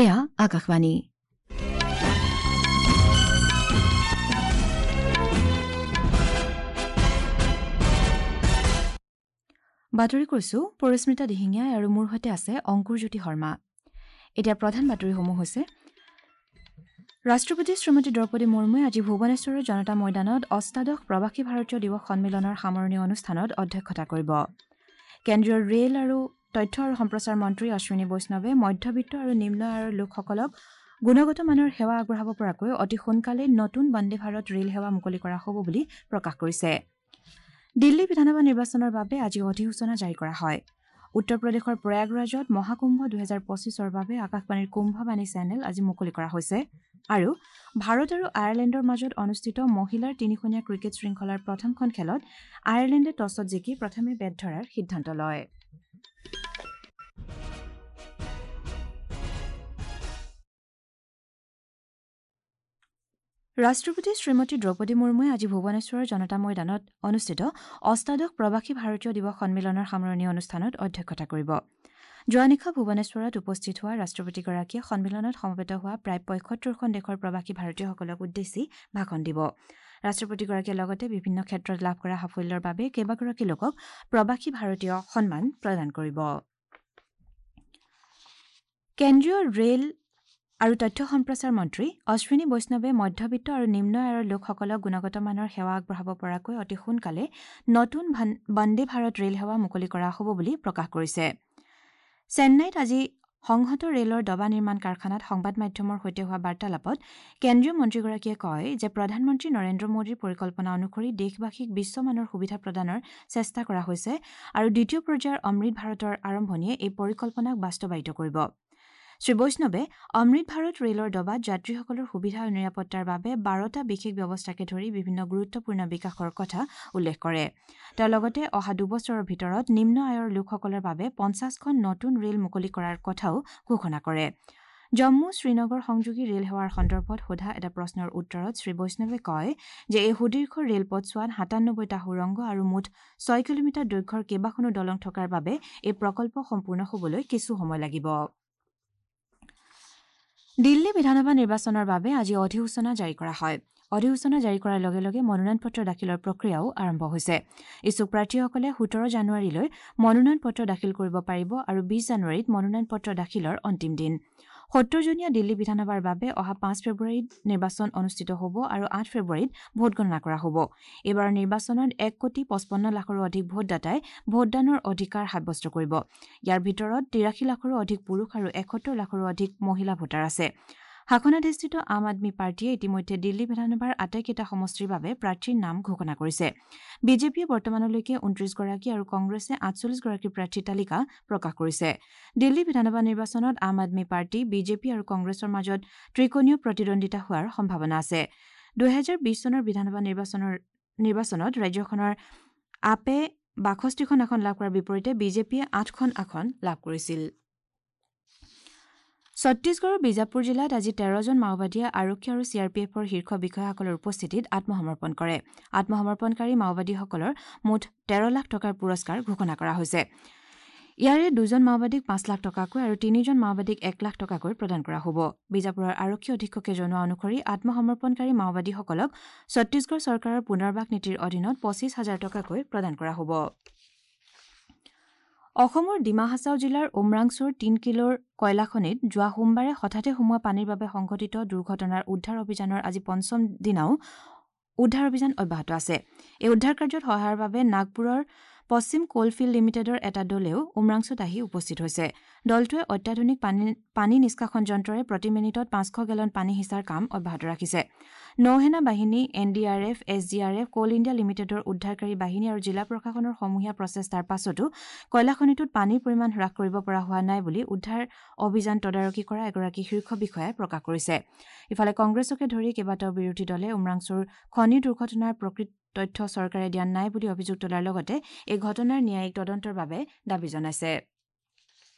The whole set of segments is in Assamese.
এয়া আকাশবাণী। বাতৰি কৈছো পৰিস্মিতা দিহিঙীয়া আৰু মোৰ সৈতে আছে অংকুৰজ্যোতি শৰ্মা। এতিয়া প্ৰধান বাতৰিসমূহ হৈছে: ৰাষ্ট্ৰপতি শ্ৰীমতী দ্ৰৌপদী মুৰ্মুৱে আজি ভুৱনেশ্বৰৰ জনতা ময়দানত অষ্টাদশ প্ৰৱাসী ভাৰতীয় দিৱস সন্মিলনৰ সামৰণি অনুষ্ঠানত অধ্যক্ষতা কৰিব। কেন্দ্ৰীয় ৰেল আৰু তথ্য আৰু সম্প্ৰচাৰ মন্ত্ৰী অশ্বিনী বৈষ্ণৱে মধ্যবিত্ত আৰু নিম্ন আয়ৰ লোকসকলক গুণগত মানৰ সেৱা আগবঢ়াব পৰাকৈ অতি সোনকালেই নতুন বন্দে ভাৰত ৰেল সেৱা মুকলি কৰা হ'ব বুলি প্ৰকাশ কৰিছে। দিল্লী বিধানসভা নিৰ্বাচনৰ বাবে আজি অধিসূচনা জাৰি কৰা হয়। উত্তৰ প্ৰদেশৰ প্ৰয়াগৰাজত মহাকুম্ভ 2025ৰ বাবে আকাশবাণীৰ কুম্ভবাণী চেনেল আজি মুকলি কৰা হৈছে। আৰু ভাৰত আৰু আয়াৰলেণ্ডৰ মাজত অনুষ্ঠিত মহিলাৰ তিনিখনীয়া ক্ৰিকেট শৃংখলাৰ প্ৰথমখন খেলত আয়াৰলেণ্ডে টছত জিকি প্ৰথমে বেট ধৰাৰ সিদ্ধান্ত লয়। ৰাষ্ট্ৰপতি শ্ৰীমতী দ্ৰৌপদী মুৰ্মুৱে আজি ভুৱনেশ্বৰৰ জনতা ময়দানত অনুষ্ঠিত অষ্টাদশ প্ৰৱাসী ভাৰতীয় দিৱস সন্মিলনৰ সামৰণি অনুষ্ঠানত অধ্যক্ষতা কৰিব। যোৱা নিশা ভুৱনেশ্বৰত উপস্থিত হোৱা ৰাষ্ট্ৰপতিগৰাকীয়ে সন্মিলনত সমবেত হোৱা প্ৰায় 75খন দেশৰ প্ৰৱাসী ভাৰতীয়সকলক উদ্দেশ্যি ভাষণ দিব। ৰাষ্ট্ৰপতিগৰাকীয়ে লগতে বিভিন্ন ক্ষেত্ৰত লাভ কৰা সাফল্যৰ বাবে কেইবাগৰাকী লোকক প্ৰৱাসী ভাৰতীয় সন্মান প্ৰদান কৰিব। কেন্দ্ৰীয় ৰেল আৰু তথ্য সম্প্ৰচাৰ মন্ত্ৰী অশ্বিনী বৈষ্ণৱে মধ্যবিত্ত আৰু নিম্ন আয়ৰ লোকসকলক গুণগত মানৰ সেৱা আগবঢ়াব পৰাকৈ অতি সোনকালে নতুন বন্দে ভাৰত ৰেল সেৱা মুকলি কৰা হ'ব বুলি প্ৰকাশ কৰিছে। চেন্নাইত আজি সংহত ৰেলৰ ডবা নিৰ্মাণ কাৰখানাত সংবাদ মাধ্যমৰ সৈতে হোৱা বাৰ্তালাপত কেন্দ্ৰীয় মন্ত্ৰীগৰাকীয়ে কয় যে প্ৰধানমন্ত্ৰী নৰেন্দ্ৰ মোদীৰ পৰিকল্পনা অনুসৰি দেশবাসীক বিশ্বমানৰ সুবিধা প্ৰদানৰ চেষ্টা কৰা হৈছে আৰু দ্বিতীয় পৰ্যায়ৰ অমৃত ভাৰতৰ আৰম্ভণিয়ে এই পৰিকল্পনাক বাস্তৱায়িত কৰিব। শ্ৰী বৈষ্ণৱে অমৃত ভাৰত ৰেলৰ ডবাত যাত্ৰীসকলৰ সুবিধা আৰু নিৰাপত্তাৰ বাবে 12টা বিশেষ ব্যৱস্থাকে ধৰি বিভিন্ন গুৰুত্বপূৰ্ণ বিকাশৰ কথা উল্লেখ কৰে। তেওঁ লগতে অহা দুবছৰৰ ভিতৰত নিম্ন আয়ৰ লোকসকলৰ বাবে 50খন নতুন ৰেল মুকলি কৰাৰ কথাও ঘোষণা কৰে। জম্মু শ্ৰীনগৰ সংযোগী ৰেল সেৱাৰ সন্দৰ্ভত সোধা এটা প্ৰশ্নৰ উত্তৰত শ্ৰী বৈষ্ণৱে কয় যে এই সুদীৰ্ঘ ৰেলপথছোৱাত 97টা সুৰংগ আৰু মুঠ 6 কিলোমিটাৰ দৈৰ্ঘ্যৰ কেইবাখনো দলং থকাৰ বাবে এই প্ৰকল্প সম্পূৰ্ণ হ'বলৈ কিছু সময় লাগিব। দিল্লী বিধানসভা নিৰ্বাচনৰ বাবে আজি অধিসূচনা জাৰি কৰা হয়। অধিসূচনা জাৰি কৰাৰ লগে লগে মনোনয়ন পত্ৰ দাখিলৰ প্ৰক্ৰিয়াও আৰম্ভ হৈছে। ইচ্ছুক প্ৰাৰ্থীসকলে 17 জানুৱাৰীলৈ মনোনয়ন পত্ৰ দাখিল কৰিব পাৰিব আৰু 20 জানুৱাৰীত মনোনয়ন পত্ৰ দাখিলৰ অন্তিম দিন। 70জনীয়া দিল্লী বিধানসভাৰ বাবে অহা 5 ফেব্ৰুৱাৰীত নিৰ্বাচন অনুষ্ঠিত হ'ব আৰু 8 ফেব্ৰুৱাৰীত ভোটগণনা কৰা হ'ব। এইবাৰৰ নিৰ্বাচনত 1,55,00,000ৰো অধিক ভোটদাতাই ভোটদানৰ অধিকাৰ সাব্যস্ত কৰিব। ইয়াৰ ভিতৰত 83 লাখৰো অধিক পুৰুষ আৰু 71 লাখৰো অধিক মহিলা ভোটাৰ আছে। শাসনাধিষ্ঠিত আম আদমী পাৰ্টীয়ে ইতিমধ্যে দিল্লী বিধানসভাৰ আটাইকেইটা সমষ্টিৰ বাবে প্ৰাৰ্থীৰ নাম ঘোষণা কৰিছে। বিজেপিয়ে বৰ্তমানলৈকে 29গৰাকী আৰু কংগ্ৰেছে 48গৰাকী প্ৰাৰ্থীৰ তালিকা প্ৰকাশ কৰিছে। দিল্লী বিধানসভা নিৰ্বাচনত আম আদমী পাৰ্টী, বিজেপি আৰু কংগ্ৰেছৰ মাজত ত্ৰিকোণীয় প্ৰতিদ্বন্দ্বিতা হোৱাৰ সম্ভাৱনা আছে। 2020 চনৰ বিধানসভা নিৰ্বাচনত ৰাজ্যখনৰ আপে 62খন আসন লাভ কৰাৰ বিপৰীতে বিজেপিয়ে 8খন আসন লাভ কৰিছিল। ছত্তীশগড়ৰ বিজাপুৰ জিলাত আজি 13জন মাওবাদীয়ে আৰক্ষী আৰু চি আৰ পি এফৰ শীৰ্ষ বিষয়াসকলৰ উপস্থিতিত আত্মসমৰ্পণ কৰে। আত্মসমৰ্পণকাৰী মাওবাদীসকলৰ মুঠ 13 লাখ টকাৰ পুৰস্কাৰ ঘোষণা কৰা হৈছে। ইয়াৰে 2জন মাওবাদীক 5 লাখ টকাকৈ আৰু 3জন মাওবাদীক 1 লাখ টকাকৈ প্ৰদান কৰা হ'ব। বিজাপুৰৰ আৰক্ষী অধীক্ষকে জনোৱা অনুসৰি আত্মসমৰ্পণকাৰী মাওবাদীসকলক ছত্তীশগড় চৰকাৰৰ পুনৰ্বাস নীতিৰ অধীনত 25,000 টকাকৈ প্ৰদান কৰা হ'ব। অসমৰ ডিমা হাছাও জিলাৰ উমৰাংছুৰ 3 কিলোৰ কয়লাখনিত যোৱা সোমবাৰে হঠাতে সোমোৱা পানীৰ বাবে সংঘটিত দুৰ্ঘটনাৰ উদ্ধাৰ অভিযানৰ আজি পঞ্চম দিনাও উদ্ধাৰ অভিযান অব্যাহত আছে। এই উদ্ধাৰ কাৰ্যত সহায়ৰ বাবে নাগপুৰৰ পশ্চিম কোলফিল্ড লিমিটেডৰ এটা দলেও উমৰাংছুত আহি উপস্থিত হৈছে। দলটোৱে অত্যাধুনিক পানী নিষ্কাশন যন্ত্ৰৰে প্ৰতি মিনিটত 500 গেলন পানী সিঁচাৰ কাম অব্যাহত ৰাখিছে। নৌসেনা বাহিনী, N D R F, S D R F, Coal India লিমিটেডৰ উদ্ধাৰকাৰী বাহিনী আৰু জিলা প্ৰশাসনৰ সমূহীয়া প্ৰচেষ্টাৰ পাছতো কয়লাখনিটোত পানীৰ পৰিমাণ হ্ৰাস কৰিব পৰা হোৱা নাই বুলি উদ্ধাৰ অভিযান তদাৰকী কৰা এগৰাকী শীৰ্ষ বিষয়াই প্ৰকাশ কৰিছে। ইফালে কংগ্ৰেছকে ধৰি কেইবাটাও বিৰোধী দলে উমৰাংছুৰ খনি দুৰ্ঘটনাৰ প্ৰকৃত তথ্য চৰকাৰে দিয়া নাই বুলি অভিযোগ তোলাৰ লগতে এই ঘটনাৰ ন্যায়িক তদন্তৰ বাবে দাবী জনাইছে।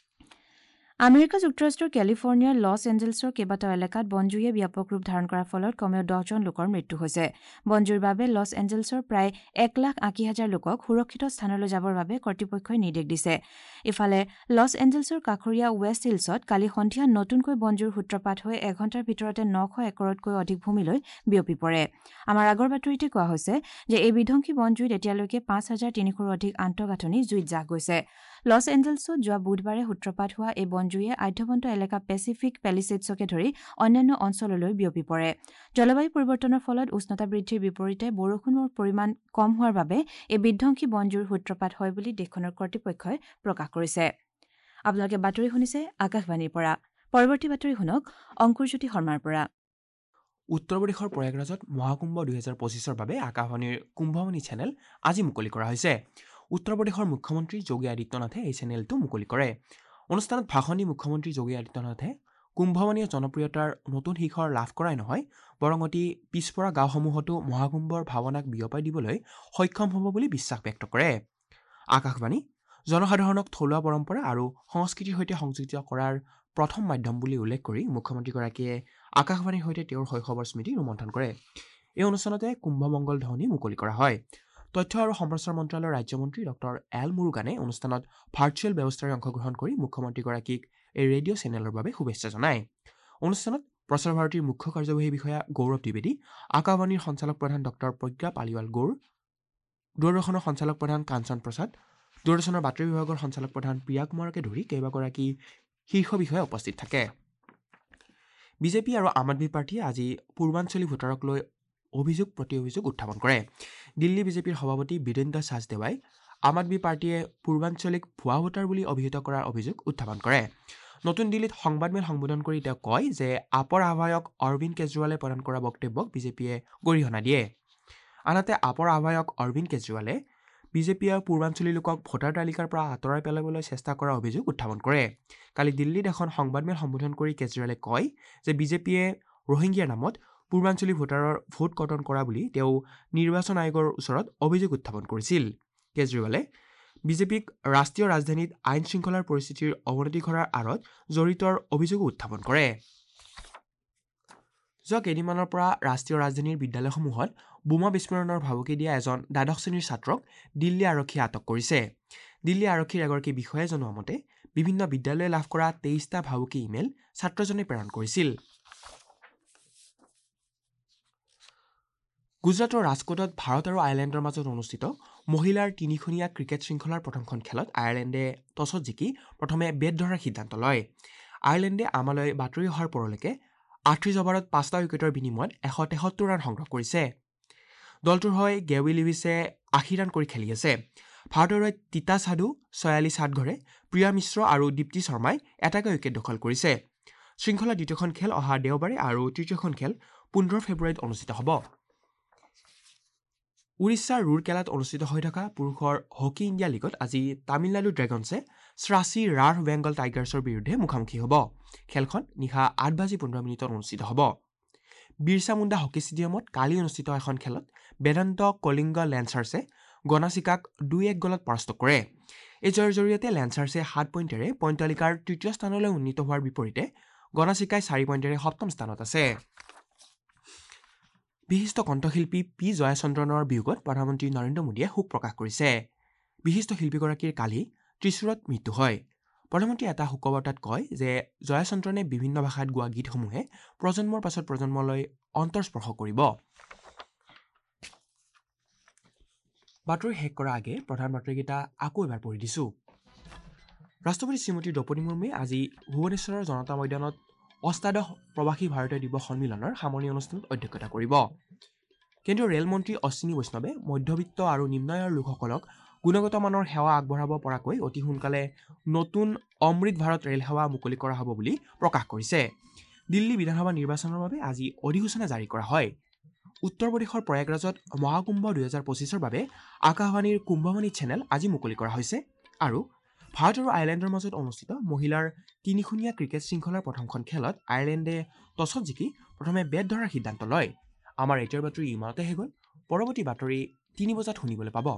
আমেৰিকা যুক্তৰাষ্ট্ৰৰ কেলিফৰ্ণিয়াৰ লছ এঞ্জেলছৰ কেইবাটাও এলেকাত বনজুইয়ে ব্যাপক ৰূপ ধাৰণ কৰাৰ ফলত কমেও 10জন লোকৰ মৃত্যু হৈছে। বনজুইৰ বাবে লছ এঞ্জেলছৰ প্ৰায় 1,80,000 লোকক সুৰক্ষিত স্থানলৈ যাবৰ বাবে কৰ্তৃপক্ষই নিৰ্দেশ দিছে। ইফালে লছ এঞ্জেলছৰ কাষৰীয়া ৱেষ্ট হিলছত কালি সন্ধিয়া নতুনকৈ বনজুইৰ সূত্ৰপাত হৈ এঘণ্টাৰ ভিতৰতে 900 একৰতকৈ অধিক ভূমিলৈ বিয়পি পৰে। আমাৰ আগৰ বাতৰিতে কোৱা হৈছে যে এই বিধ্বংসী বনজুইত এতিয়ালৈকে 5,300ৰো অধিক আন্তঃগাঁথনি জুইত জাহ গৈছে। লছ এঞ্জেলছত যোৱা বুধবাৰে সূত্ৰপাত হোৱা এই বনজুইয়ে আঢ্যবন্ত এলেকা পেচিফিক পেলিছেডছকে ধৰি অন্যান্য অঞ্চললৈ বিয়পি পৰে। জলবায়ু পৰিৱৰ্তনৰ ফলত উষ্ণতা বৃদ্ধিৰ বিপৰীতে বৰষুণৰ পৰিমাণ কম হোৱাৰ বাবে এই বিধ্বংসী বনজুইৰ সূত্ৰপাত হয় বুলি দেশখনৰ কৰ্তৃপক্ষই প্ৰকাশ কৰিছে। আপোনালোকে বাতৰি শুনিছে আকাশবাণীৰ পৰা। পৰৱৰ্তী বাতৰি শুনক অংকুৰজ্যোতি শৰ্মাৰ পৰা। উত্তৰ প্ৰদেশৰ প্ৰয়াগৰাজত মহাকুম্ভ 2025ৰ বাবে আকাশবাণীৰ কুম্ভবাণী চেনেল আজি মুকলি কৰা হৈছে। উত্তৰ প্ৰদেশৰ মুখ্যমন্ত্ৰী যোগী আদিত্যনাথে এই চেনেলটো মুকলি কৰে। অনুষ্ঠানত ভাষণ দি মুখ্যমন্ত্ৰী যোগী আদিত্যনাথে কুম্ভবাণীয়ে জনপ্ৰিয়তাৰ নতুন শিখৰ লাভ কৰাই নহয়, বৰং অতি পিছপৰা গাঁওসমূহতো মহাকুম্ভৰ ভাৱনাক বিয়পাই দিবলৈ সক্ষম হ'ব বুলি বিশ্বাস ব্যক্ত কৰে। আকাশবাণী জনসাধাৰণক থলুৱা পৰম্পৰা আৰু সংস্কৃতিৰ সৈতে সংযোজিত কৰাৰ প্ৰথম মাধ্যম বুলি উল্লেখ কৰি মুখ্যমন্ত্ৰীগৰাকীয়ে আকাশবাণীৰ সৈতে তেওঁৰ শৈশৱৰ স্মৃতি ৰোমন্থন কৰে। এই অনুষ্ঠানতে কুম্ভমংগল ধ্বনি মুকলি কৰা হয়। তথ্য আৰু সম্প্ৰচাৰ মন্ত্ৰালয়ৰ ৰাজ্যমন্ত্ৰী ডক্টৰ এল মুৰুগানে অনুষ্ঠানত ভাৰ্চুৱেল ব্যৱস্থাৰে অংশগ্ৰহণ কৰি মুখ্যমন্ত্ৰীগৰাকীক এই ৰেডিঅ' চেনেলৰ বাবে শুভেচ্ছা জনায়। অনুষ্ঠানত প্ৰসাৰ ভাৰতীৰ মুখ্য কাৰ্যবাহী বিষয়া গৌৰৱ দ্বিবেদী, আকাশবাণীৰ সঞ্চালক প্ৰধান ডক্টৰ প্ৰজ্ঞা পালিৱাল গৌৰ, দূৰদৰ্শনৰ সঞ্চালক প্ৰধান কাঞ্চন প্ৰসাদ, দূৰদৰ্শনৰ বাতৰি বিভাগৰ সঞ্চালক প্ৰধান প্ৰিয়া কুমাৰকে ধৰি কেইবাগৰাকী শীৰ্ষ বিষয়া উপস্থিত থাকে। বিজেপি আৰু আম আদমি পাৰ্টীয়ে আজি পূৰ্বাঞ্চলী ভোটাৰক লৈ অভিযোগ প্ৰতি অভিযোগ উত্থাপন কৰে। দিল্লী বিজেপিৰ সভাপতি বীৰেন্দ্ৰ চাচদেৱাই আম আদমি পাৰ্টীয়ে পূৰ্বাঞ্চলিক ভুৱা ভোটাৰ বুলি অভিহিত কৰাৰ অভিযোগ উত্থাপন কৰে। নতুন দিল্লীত সংবাদমেল সম্বোধন কৰি তেওঁ কয় যে আপৰ আহ্বায়ক অৰবিন্দ কেজৰিৱালে প্ৰদান কৰা বক্তব্যক বিজেপিয়ে গৰিহণা দিয়ে। আনহাতে আপৰ আহ্বায়ক অৰবিন্দ কেজৰিৱালে বিজেপিয়ে পূৰ্বাঞ্চলী লোকক ভোটাৰ তালিকাৰ পৰা আঁতৰাই পেলাবলৈ চেষ্টা কৰাৰ অভিযোগ উত্থাপন কৰে। কালি দিল্লীত এখন সংবাদমেল সম্বোধন কৰি কেজৰিৱালে কয় যে বিজেপিয়ে ৰোহিংগীয়াৰ নামত পূৰ্বাঞ্চলী ভোটাৰৰ ভোট কৰ্তন কৰা বুলি তেওঁ নিৰ্বাচন আয়োগৰ ওচৰত অভিযোগ উত্থাপন কৰিছিল। কেজৰিৱালে বিজেপিক ৰাষ্ট্ৰীয় ৰাজধানীত আইন শৃংখলাৰ পৰিস্থিতিৰ অৱনতি ঘটাৰ আঁৰত জড়িতৰ অভিযোগো উত্থাপন কৰে। যোৱা কেইদিনমানৰ পৰা ৰাষ্ট্ৰীয় ৰাজধানীৰ বিদ্যালয়সমূহত বোমা বিস্ফোৰণৰ ভাবুকি দিয়া এজন দ্বাদশ শ্ৰেণীৰ ছাত্ৰক দিল্লী আৰক্ষীয়ে আটক কৰিছে। দিল্লী আৰক্ষীৰ এগৰাকী বিষয়াই জনোৱা মতে বিভিন্ন বিদ্যালয়ে লাভ কৰা 23টা ভাবুকি ইমেইল ছাত্ৰজনে প্ৰেৰণ কৰিছিল। গুজৰাটৰ ৰাজকোটত ভাৰত আৰু আয়াৰলেণ্ডৰ মাজত অনুষ্ঠিত মহিলাৰ তিনিখনীয়া ক্ৰিকেট শৃংখলাৰ প্ৰথমখন খেলত আয়াৰলেণ্ডে টছত জিকি প্ৰথমে বেট ধৰাৰ সিদ্ধান্ত লয়। আয়াৰলেণ্ডে আমালৈ বাতৰি অহাৰ পৰলৈকে 38 অভাৰত 5টা উইকেটৰ বিনিময়ত 173 ৰান সংগ্ৰহ কৰিছে। দলটোৰ হৈ গেৱি লিভিছে 80 ৰান কৰি খেলি আছে। ভাৰতৰ হৈ তিতা সাধু, ছয়ালি সাতঘৰে, প্ৰিয়া মিশ্ৰ আৰু দীপ্তি শৰ্মাই এটাকৈ উইকেট দখল কৰিছে। শৃংখলাৰ দ্বিতীয়খন খেল অহা দেওবাৰে আৰু তৃতীয়খন খেল 15 ফেব্ৰুৱাৰীত অনুষ্ঠিত হ'ব। উৰিষ্যাৰ ৰুৰকেলাত অনুষ্ঠিত হৈ থকা পুৰুষৰ হকী ইণ্ডিয়া লীগত আজি তামিলনাডু ড্ৰেগনছে শ্ৰাচী ৰাৰ বেংগল টাইগাৰ্ছৰ বিৰুদ্ধে মুখামুখি হ'ব। খেলখন নিশা 8:15 অনুষ্ঠিত হ'ব। বিৰছা মুণ্ডা হকী ষ্টেডিয়ামত কালি অনুষ্ঠিত এখন খেলত বেদান্ত কলিংগ লেন্সাৰ্ছে গনাচিকাক 2-1 গ'লত পৰাস্ত কৰে। এই জয়ৰ জৰিয়তে লেন্সাৰ্ছে 7 পইণ্টেৰে পইণ্ট তালিকাৰ তৃতীয় স্থানলৈ উন্নীত হোৱাৰ বিপৰীতে গনাচিকাই 4 পইণ্টেৰে সপ্তম স্থানত আছে। বিশিষ্ট কণ্ঠশিল্পী পি জয়াচন্দ্ৰনৰ বিয়োগত প্ৰধানমন্ত্ৰী নৰেন্দ্ৰ মোদীয়ে শোক প্ৰকাশ কৰিছে। বিশিষ্ট শিল্পীগৰাকীৰ কালি ত্ৰিশূৰত মৃত্যু হয়। প্ৰধানমন্ত্ৰীয়ে এটা শোকবাৰ্তাত কয় যে জয়াচন্দ্ৰনে বিভিন্ন ভাষাত গোৱা গীতসমূহে প্ৰজন্মৰ পাছত প্ৰজন্মলৈ অন্তৰস্পৰ্শ কৰিব। বাতৰি শেষ কৰাৰ আগে প্ৰধান বাতৰিকেইটা আকৌ এবাৰ পঢ়ি দিছোঁ। ৰাষ্ট্ৰপতি শ্ৰীমতী দ্ৰৌপদী মুৰ্মুৱে আজি ভুৱনেশ্বৰৰ জনতা ময়দানত অষ্টাদশ প্ৰৱাসী ভাৰতীয় দিৱস সন্মিলনৰ সামৰণি অনুষ্ঠানত অধ্যক্ষতা কৰিব। কেন্দ্ৰীয় ৰেল মন্ত্ৰী অশ্বিনী বৈষ্ণৱে মধ্যবিত্ত আৰু নিম্ন আয়ৰ লোকসকলক গুণগত মানৰ সেৱা আগবঢ়াব পৰাকৈ অতি সোনকালে নতুন অমৃত ভাৰত ৰেল সেৱা মুকলি কৰা হ'ব বুলি প্ৰকাশ কৰিছে। দিল্লী বিধানসভা নিৰ্বাচনৰ বাবে আজি অধিসূচনা জাৰি কৰা হয়। উত্তৰ প্ৰদেশৰ প্ৰয়াগৰাজত মহাকুম্ভ 2025ৰ বাবে আকাশবাণীৰ কুম্ভবাণী চেনেল আজি মুকলি কৰা হৈছে। আৰু ভাৰত আৰু আয়াৰলেণ্ডৰ মাজত অনুষ্ঠিত মহিলাৰ তিনিখনীয়া ক্ৰিকেট শৃংখলাৰ প্ৰথমখন খেলত আয়াৰলেণ্ডে টছত জিকি প্ৰথমে বেট ধৰাৰ সিদ্ধান্ত লয়। আমাৰ এতিয়াৰ বাতৰি ইমানতে শেষ হ'ল। পৰৱৰ্তী বাতৰি 3 বজাত শুনিবলৈ পাব।